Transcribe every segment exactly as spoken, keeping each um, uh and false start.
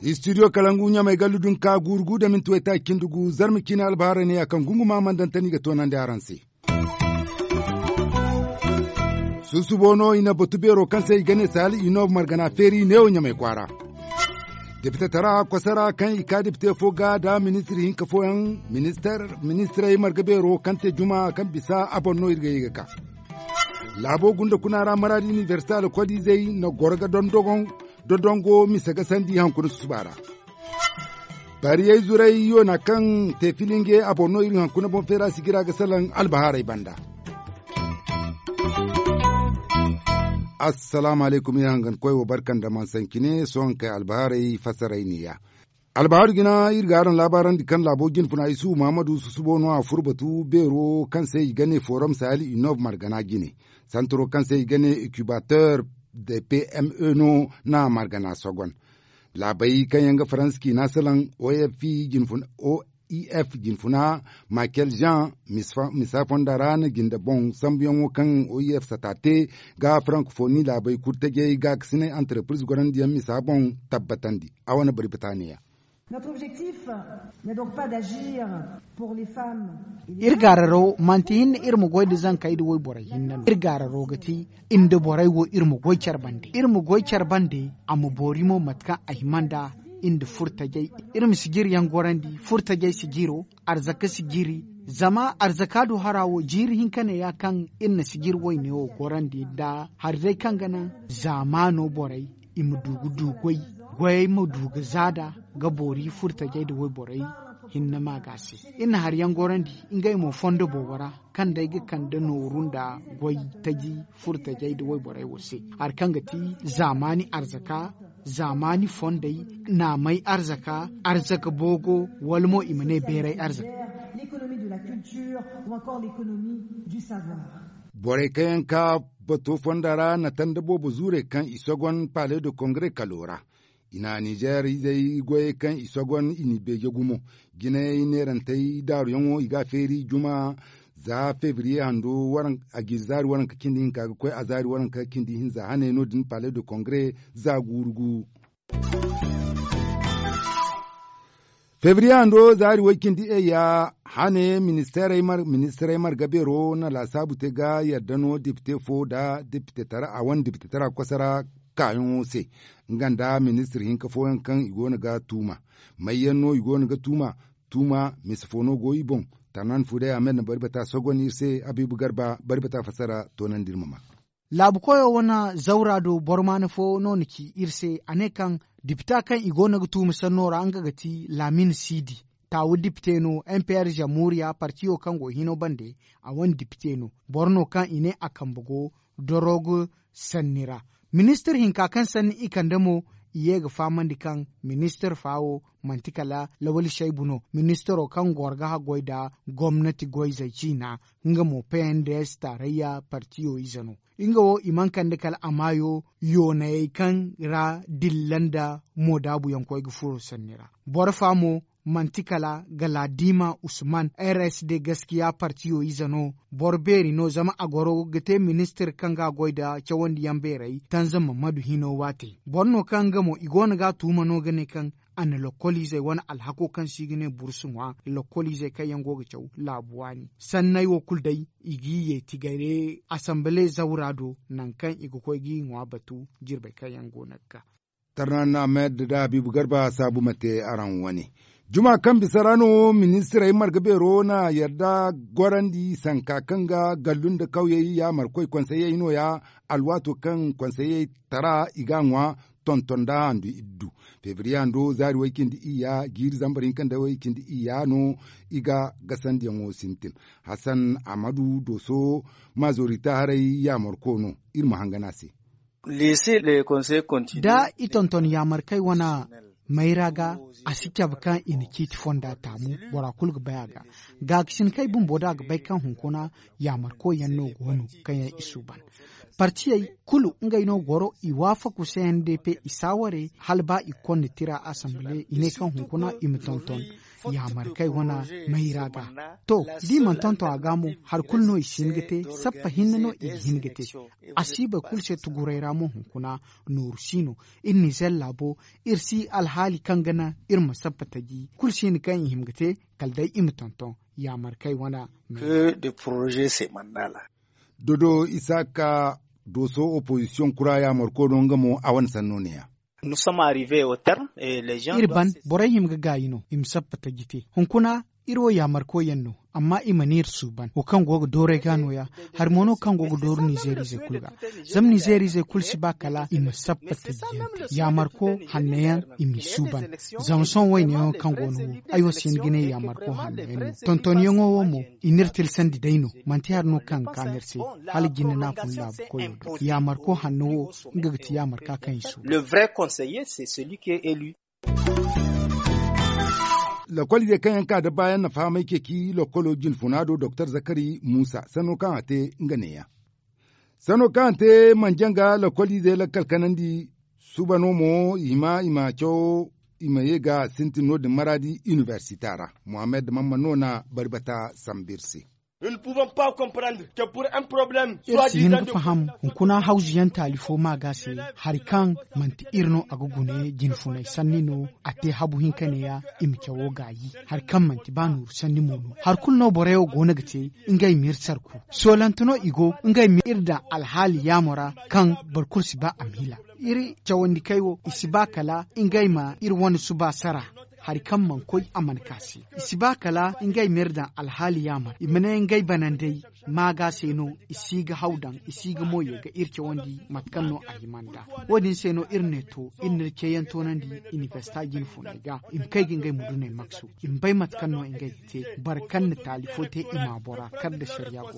Istidiyo kalangu ɲamay gallu dunka guuru gu da minti waytaaci cindi gu zarma ciine albahaarey ne ya kaŋ gunguma mandantani ga toonandi araŋ se. Susubo no i na batu beero kaŋ se i ga ne saali i no margana feeri neewo ɲamay kwaara. Depite tara kosara kaŋ i ka depite fo ga da ministir hinka fooyaŋ. Ministirey marga beero kaŋ te juma kaŋ bisa a boŋ no iri ga ye ga ka. Laabo gunda kuna ra maraadi inibersita alkoliizey na goro ga dondogoŋ dodongo mise ga sandi hankuna susuba ra. Bariyey zuray yoona kaŋ te filinge a boŋ no iri hankuna boŋ feera sigira ga salaŋ albahaarey banda. Assalaamu alaykum iri hangan koy wo barka nda mansancine sohõ kay albahaarey fasaray neeya. Albahaaru jina iri ga araŋ laabaarandi kaŋ laabo jinfuna isuhu muhammadu susubo no a furo batu beero kaŋ se i ga ne forum sahel inov margana jine. Santaro kaŋ se i ga ne incubateur de pme no na margana sogon. Laabey kaŋ yaŋ ga faransa ciina salaŋ oef jinfuna michael jean misa fonda ra na jinde boŋ sambuyaŋo kaŋ oef sata te ga frankofoni laabey kurtajey gaakasinay antarepiriz gorandiyaŋ misa boŋ tabbatandi. A wane bari bata neeya. Iri gaararo manti hinne iri ma goy nda zankey nda wayborey hinne no iri gaararo ga ti. Nda borey wo iri ma goy care bande iri ma goy care bande a ma boori mo mate kaŋ a hima nda nda furtajey. Iri ma sijiriyaŋ gorandi furtajey sijiro arzaka sijiri. Zama arzaka do hara wo jiiri hinka ne ya kaŋ iri na sijiri wayne wo gorandi nda hari day kaŋ ga naŋ zaamaano borey i ma du ga du goy goyey ma du ga zaada ga boori furtajey nda wayborey hinne ma ga se. Iri na hari yaŋ gorandi ngey mo fondo boobo ra kaŋ day ga kande nooru nda goy taji furtajey nda wayborey wo se hari kaŋ ga ti zaamaani arzaka zaamaani fondey naamay arzaka arzaka boogo wala mo i ma ne beeray arzaka. Borey kaŋ yaŋ ka bato fonda ra na tanda boobo zuurey kaŋ i sogon pale de kongre kalo ra. I na nizeer izey goyey kaŋ i sogon i n'i beeje gumo jinayey neerantey daaruyaŋo i ga a feeri juma za febriye hando a jiiri zaari waranka cindi hinka ga koy a zaari waranka cindi hinza hane no- din pale de kongre za guuru gu. Febriye hando zaari way cindi eya hane ministirey marga beero na laasaabu te ga yadda no depite fo nda depite tara a wane depite tara koso ra kaayaŋo se nga nda ministir hinka fooyaŋ kaŋ i go no ga tuuma. May yaŋ no i go no ga tuuma? Tuuma mise fo no go i boŋ. Tarnan fuuday ahmed na bari bata sogon iri se habiibu garba bari bata fassara toonandi iri ma maa. Laabu koyo wane zawra do boro maana fo no na ci iri se a ne kaŋ dipita kaŋ i go no ga tuuma sanno ra nga ga ti laamin siidi. Taawu dipite no m p r zammuuriya partiyo kaŋ go hino bande a wane dipite no. Boro no kaŋ i ne a kambe go dorogo sanni ra. Ministir hinka kaŋ sanni i kande mo i ye ga fahamandi kaŋ ministir fa wo manti kala lawali saybu no ministiro kaŋ goro ga haggoy nda gomnati goyzey ciina. Nga mo p n d s taarayya partiyo ize no. Nga wo i mana kande kala a maayo yoonayey kaŋ ra dilla nda moodaabuyaŋ koy ga furo sanni ra. Boro fa mo manti kala galaadima usman r s d gaskiya partiyo ize no. Boro beeri no zama a goro ga te ministir kaŋ ga a goy nda cawandiyaŋ beerey tanza mamadu hino waate. Boro no kaŋ nga mo i go no ga a tuuma no ga ne kaŋ a na lokkoliizey wane alhako kaŋ se i ga ne bursu ŋwa lokkoliizey kaŋ yaŋ go ga caw laabu waani. Sanney wo kulu day i g'i yeeti gare asambale zawra do nangu kaŋ i ga koy g'i ŋwa batu jirbey kaŋ yaŋ go no ga ka. Tarnan ahmed da habiibu garba saabu ma te araŋ wane. Juma kaŋ bisa ra no ministirey marga beero na yadda gorandi sanka kaŋ ga gallu nda kawyey yaamarkoy konseyey nooya. Alwaato kaŋ konseyey tara i ga a ŋwa tonton nda handu iddu. Febriye hando zaari way cindi iyya jiiri zambar hinka nda way cindi iyya no i ga gasandiyaŋo sintin. Hasan ahmadu dooso maazorita haray yaamarko no. Iri ma hangan a se. Da i tonton yaamarkey wane mayra ga a si cabe kaŋ i na ciiti fonda taamu bora kulu ga bay a ga. Gaakasin kaŋ ay bumbo da a ga bay kaŋ hunkuna yaamarkoy yaŋ no go no kaŋ yaŋ i suuban. Partiyey kulu ngey no goro i waafaku se n d p i saaware hala ba i ga konda tira asambile i ne kaŋ hunkuna i ma tonton. yaamar kaŋ ay wane mayra ga. To, da i mana tonton a ga mo, hari kulu no i si hin ga te. Sappa hinne no i ga hin ga te. A si boro kulu se tuguray ra mo hunkuna. Nooru si no. Iri nizer laabo, iri si alhaali kaŋ ga naŋ iri ma sappa taji kulu si hin kaŋ i hima ga te. Kala day i ma tonton yaamar kaŋ ay wane. Dodo isaaka dooso opozisiyoŋ kura yaamarko no nga mo a wane sanno ne- ya. Iri ban, borey hima ga gaayi no i ma sappa taji te. Hunkuna iri wo yaamarko yaŋ no. Amma i mana iri suuban wo kaŋ go ga dooru ay ga no- ya. Hari mo no kaŋ go ga dooru nizeeriizey kulu ga. Zama nizeeriizey kulu si ba kala i ma sappa taji yaŋ te. Yaamarko hanno yaŋ i m'i suuban. Zama sohõ wayne yaŋo kaŋ go no wo, ay wo si hin ga ne yaamarko hanno yaŋ no. Tontonyaŋo wo mo, i n'iri tilsandi day no. Manti hari no kaŋ ga kaan iri se. Hala jinde no a fun laabu koyo do yaamarko hanno wo, nga ga ti yaamarka kaŋ i suuban. Lokoliizey kaŋ yaŋ ka da baayaŋ na fahamay ceeci lokolo jinfuna do doktor zakari muusa sanno kaŋ a te nga ne- ya. Sanno kaŋ a te manjaŋ ga lokoliizey lakkal kanandi. Suuba no mo i hima i ma cawo i ma ye ga sintin no- din maraadi inibersita ra. Muhammad mamman no na bari bata sambu iri se. Iri si hin ga faham hunkuna hawzu yaŋ taali fo ma ga se. Hari kaŋ manti iri no a ga gune jinfunay sanni no. A te habu hinka ne- ya i ma cawo gaayi. Hari kaŋ manti ba nooru sanni mo no hari kulu no borey wo go no ga te. Ngey ma iri sarku soolante no i go. Ngey ma iri daŋ alhaali yaamo ra kaŋ boro kulu si ba a ma hila. Iri cawandikey wo i si ba kala ngey ma iri wane suba sara. Hari kaŋ mana koy a mana ka se i si ba kala ngey ma iri daŋ alhaali yaamo ra i ma ne ngey banandey. Maaga se no i si ga haw daŋ i si ga mo ye ga iri cawandi mate kaŋ no a hima nd'a. Wo- din se no iri ne to iri n'iri ceeyaŋ toonandi inibersita jinfuney ga i ma kay ga ngey muduney maksu. I ma bay mate kaŋ no ngey ga te boro kaŋ na taali fo te i ma a bora kar nda sariya go.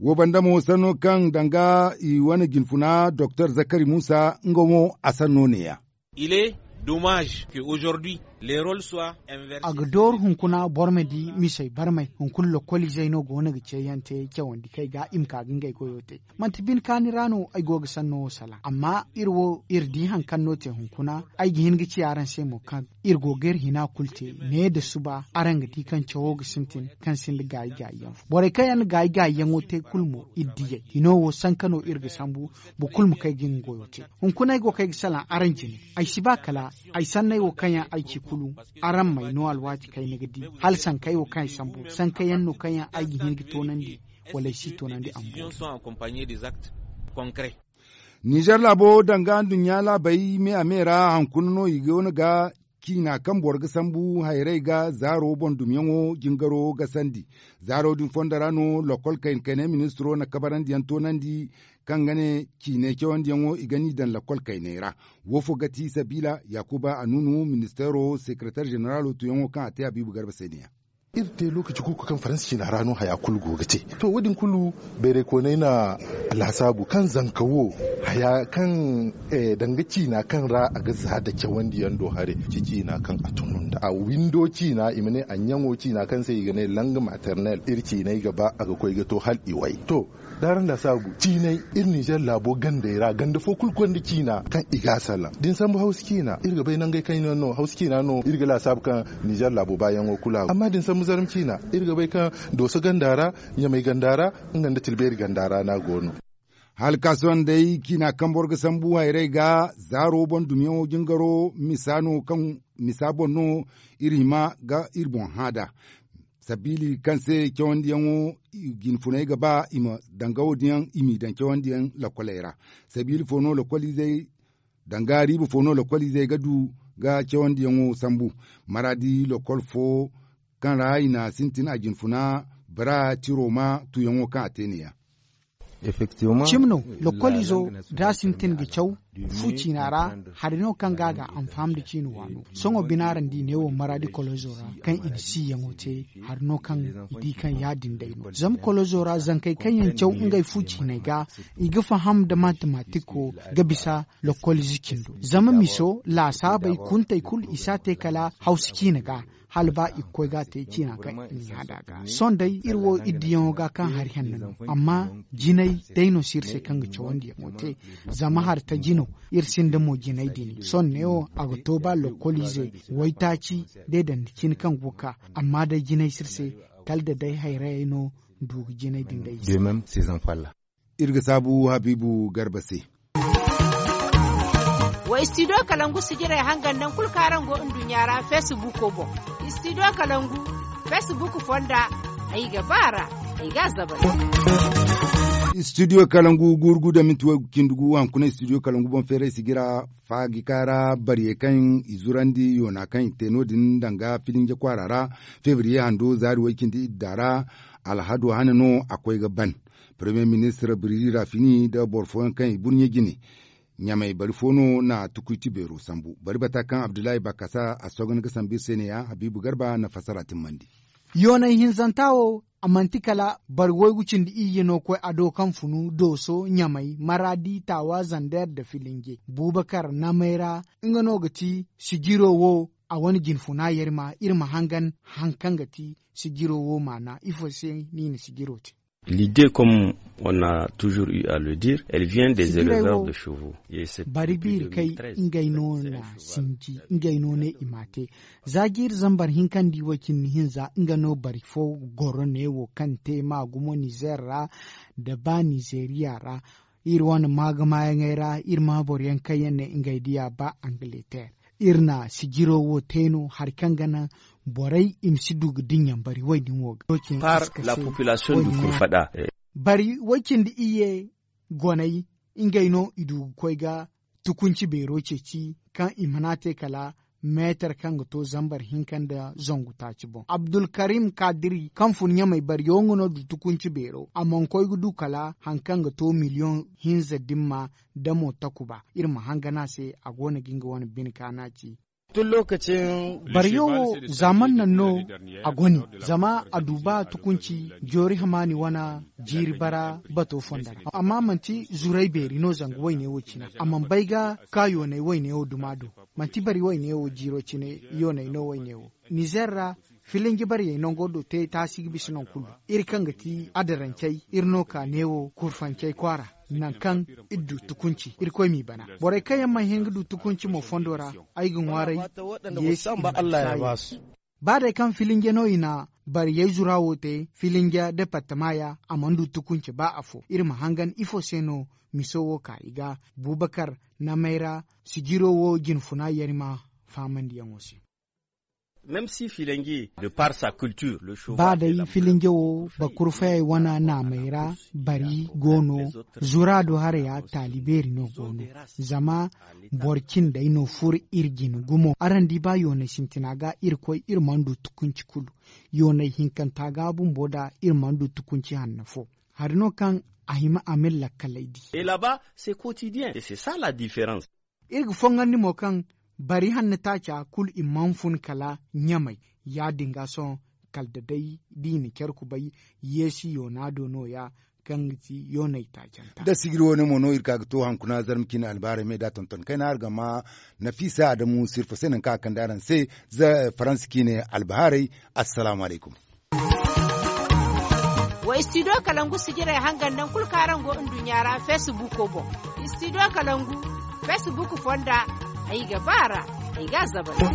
Wo banda mo sanno kaŋ danga i wane jinfuna doktor zakari muusa nga mo a sanno ne- ya. A ga dooru hunkuna boro ma di misey barmay hunkuna lokoliizey no go no ga ceeyaŋ te cawandi kaŋ ay ga i ma ka ga ngey goyo te. Manti bine kaani ra no ay go ga sanno wo salaŋ amma iri wo iri di hari kaŋ no te hunkuna. Ay ga hin ga ci araŋ se mo kaŋ iri go ga iri hina kulu te ne nda suba araŋ ga di kaŋ cawo ga sintin kaŋ sinda gaayi gaayi yaŋ fo borey kaŋ yaŋ na gaayi gaayi yaŋo te kulu mo iri diyey hino wo sanka no iri ga sambu. Boro kulu ma kay ga nga goyo te. Hunkuna ay go kaŋ ay ga salaŋ araŋ jine. Ay si ba kala ay sanney wo kaŋ yaŋ ay ci kulu. Araŋ m'ay no alwaati kaŋ ay na ga di hala sankey wo kaŋ ay sambu sanka yaŋ no kaŋ yaŋ ay ga hin ga toonandi wala ay si toonandi ambo. Nizer laabo danga nduɲɲa laabey me a me ra hankuna no i go no ga ciina kaŋ boro ga sambu hayrey ga zaaro boŋ dumyaŋo jingaro ga sandi. Zaaro din fondo ra no lokol kayna kaynay ministiro na kabarandiyaŋ toonandi kaŋ ga ne ciinay cawandiyaŋo i ga n'i daŋ lokol kaynay ra. Wo fo ga ti sabiila yaakuba anunu ministeero sekereteer ženeralo tuyaŋo kaŋ a te habiibu garba se ne- ya. Iri te lookaci kulu kaŋ faransa ciina ra no haya kulu go ga te. To wo- din kulu bayraykooney na laasaabu kaŋ zanka wo haya kaŋ danga ciina kaŋ ra a ga za nda cawandiyaŋ do haray ci ciina kaŋ a tunu nda a windo ciina i ma ne a ɲaŋo ciina kaŋ se i ga ne lang maternel iri ciinay ga ba a ga koy ga to hala i way to. D'araŋ laasaabu ciinay iri nizer laabo gandey ra ganda fo kulu gonda ciina kaŋ i g'a salaŋ da ni sambu hawsa ciina iri ga bay nangey kaŋ yaŋ no hawsa ciina no iri ga laasaabu kaŋ nizer laabo baayaŋo kulu a go amma da ni sambu zarma ciina iri ga bay kaŋ dooso ganda ra ɲamay ganda ra nga nda tilbeeri ganda ra no a go no. Hala ka sohõ day ciina kaŋ boro ga sambu hayrey ga zaaro boŋ dumiyaŋo jingaro misa no kaŋ misa boŋ no iri hima ga iri boŋ hã nd'a. Sabiili kaŋ se cawandiyaŋo jinfunay ga ba i ma danga wo- din yaŋ i m'i daŋ cawandiyaŋ lakoley ra. Sabiili fo no lakolizey danga riiba fo no lakolizey ga du ga cawandiyaŋo sambu. Maraadi lakol fo kaŋ ra i na sintin a jinfuna bara tiro ma tuyaŋo kaŋ a te ne- ya. Cimi no lakkolizo da a sintin ga caw fu ciina ra. Hari no kaŋ ga a ga anfaham nda ciina waano sohõ binaarandi neewo maraadi kolozo ra kaŋ i na siyaŋo te. Hari no kaŋ i di kaŋ ya- din day no zama kolozo ra zankey kaŋ yaŋ caw ngey fu ciiney ga i ga faham nda matematiko ga bisa lakkolizo cindo zama miso laasaabey kuntey kulu i si a te kala hawsa ciina ga. hala ba i ga koy ga a te ciina kaŋ i n'i hada ga. Sohõ day iri wo iri diyaŋo ga kaŋ hari hanno no, amma jinay day no si iri se kaŋ ga cawandiyaŋo te. Zama hari taji no, iri sinda mo jinay din sohõ neewo a ga to ba lokkoliize waytaaci day dandi cine kaŋ go ga ka. Amma day jinay si iri se, kala da day hayrayey no du ga jinay din day i se. Iri ga saabu habiibu garba se. Wa istidiyo kalangu sijirey hangan naŋ kulu kaŋ araŋ go nduɲɲa ra feesibuuko boŋ. Istidiyo kalangu feesibuuko fonda, ay ga ba a ra, ay ga a zabari. Istidiyo kalangu guuru gu da minti way ga cindi gu hankunay istidiyo kalangu boŋ feeray sijira faagika ra bariyey kaŋ i zurandi yoona kaŋ i te no- din danga filinje kwaara ra. Febriye hando zaari way cindi idda ra alhado hane no a koy ga ban. Parmiye ministir biriri ra fini nda boro fooyaŋ kaŋ i burɲe jine. Ɲamay bari fo no na tukuy ti beero sambu bari bata kaŋ abdullahi bakasa a sooga ni ga sambu iri se ne ya habiibu garba na fassara timmandi. Yoonay hinzanta wo, a manti kala bari waygu cindi iyye no koy a do kaŋ funu dooso ɲamay maraadi taawa zander nda filinje buubakar namay ra. Nga no ga ti sijiro wo a wane jinfuna yarima iri ma hangan haŋ kaŋ ga ti sijiro wo maana ifo se no i na sijiro te. L'idée comme on a toujours eu à le dire, elle vient des éleveurs de chevaux. Bari biiri kay ngey no na sinji ngey no ne i ma te. Za jiiri zambar hinka nda i way cindi hinza nga no bari fo goro neewo kaŋ te ma gumo nizer ra nda ba nizeriya ra. Iri wane maagamayaŋey ra iri ma boro yaŋ kaŋ yaŋ ne ngey diya ba angleterre. Iri na sijiro wo te no hari kaŋ ga naŋ borey i ma si du ga dinya bari wayne wo ga. Par la population du kurfada. Bari way cindi iyye goney ngey no i du ga koy ga tukunci beero ceeci kaŋ i mana te kala meetar kaŋ ga to zambar hinka nda zangu taaci boŋ abdulkarim kadiri kaŋ fun ɲamay bari yaŋ ga no du tukunci beero a mana koy ga du kala hari kaŋ ga to miliyoŋ hinza dimma da mo takuba. Iri ma hangan a se a go no ga nga wane bine kaana ci. Bariyo wo zaaman naŋ no a gone zama a du ba tukunci joori hamaani wane jiiri bara bato fonda ra amma manti zuray beeri no zanga wayne wo cine a mana bay ga ka yoonay wayne wo duma do. Manti bari wayne wo jiiro cine yoonay no wayne wo nizer ra. Filinji bariyey nango do te taasi ga bisa naŋ kulu. Iri kaŋ ga ti adarancey iri no ka neewo kurfancey kwaara naŋ kaŋ iri du tukunci irkoy m'i bana. Borey kaŋ yaŋ mana hin ga du tukunci mo fondo ra ay ga ŋwaaray. Ba day kaŋ filinje no i na bariyey zura wo te filinje departama ya a mana du tukunci ba afo iri ma hangan ifo se no miso wo ka i ga bubakar namay ra sijiro wo jinfuna yarima faamandiyaŋo se. Ba day filinje wo bakurfayey wane naamey ra bari go no. Zura do haraya taali beeri no go no. Zama boro cindey no furo iri jine gumo araŋ di ba yoonay sintina ga iri koy iri mana du tukunci kulu. Yoonay hinkanta ga bumbo da iri mana du tukunci hanno fo. Hari no kaŋ a hima a ma iri lakkaley di. Iri ga foŋandi mo kaŋ bari hanno taaca kulu i mana fun kala ɲamay. Ya- din ga sohõ kala da day da i na care kubay yeesi yoona do no- ya kaŋ ga ti yoonay taacanta. Da sijiri wane mo no iri ka ga to hankuna zarma ciine albaarey me da tonton kayna araŋ ga ma nafiisa adamu sirfa se nangu kaŋ a kande araŋ se. Faransa ciine albahaarey. Assalaamu alaykum. Wa istidiyo kalangu sijirey hangan naŋ kulu kaŋ araŋ go nduɲɲa ra feesibuuko boŋ. Istidiyo kalangu feesibuuko fonda ay ga ba a ra ay ga a zabari.